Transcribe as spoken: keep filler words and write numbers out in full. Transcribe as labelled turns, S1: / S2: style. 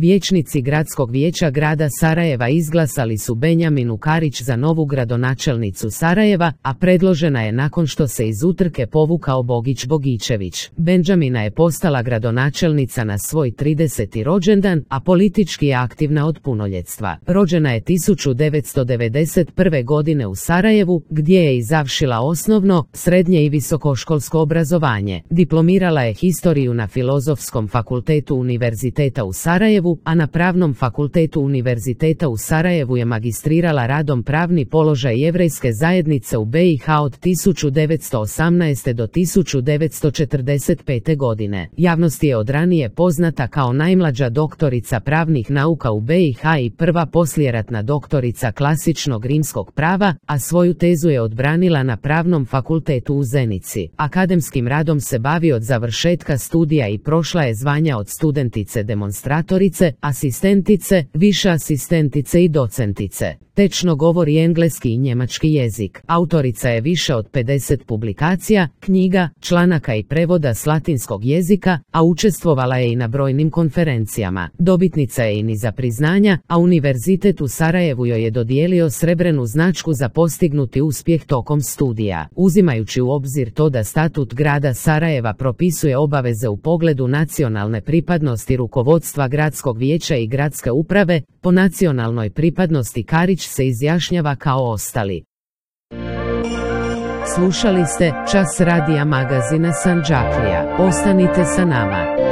S1: Vijećnici Gradskog vijeća grada Sarajeva izglasali su Benjaminu Karić za novu gradonačelnicu Sarajeva, a predložena je nakon što se iz utrke povukao Bogić Bogićević. Benjamina je postala gradonačelnica na svoj trideseti rođendan, a politički je aktivna od punoljetstva. Rođena je tisuću devetsto devedeset prve. godine u Sarajevu, gdje je i završila osnovno, srednje i visokoškolsko obrazovanje. Diplomirala je historiju na Filozofskom fakultetu Univerziteta u Sarajevu, a na Pravnom fakultetu Univerziteta u Sarajevu je magistrirala radom Pravni položaj jevrejske zajednice u be i ha od tisuću devetsto osamnaeste. do tisuću devetsto četrdeset pete. godine. Javnosti je od ranije poznata kao najmlađa doktorica pravnih nauka u be i ha i prva poslijeratna doktorica klasičnog rimskog prava, a svoju tezu je odbranila na Pravnom fakultetu u Zenici. Akademskim radom se bavi od završetka studija i prošla je zvanja od studentice demonstratorice, asistentice, više asistentice i docentice. Tečno govori engleski i njemački jezik. Autorica je više od pedeset publikacija, knjiga, članaka i prevoda s latinskog jezika, a učestvovala je i na brojnim konferencijama. Dobitnica je i niza priznanja, a Univerzitet u Sarajevu joj je dodijelio srebrenu značku za postignuti uspjeh tokom studija. Uzimajući u obzir to da statut grada Sarajeva propisuje obaveze u pogledu nacionalne pripadnosti rukovodstva gradskog vijeća i gradske uprave, po nacionalnoj pripadnosti Karić se izjašnjava kao ostali. Slušali ste Čas radija magazina Sandžaklija. Ostanite sa nama.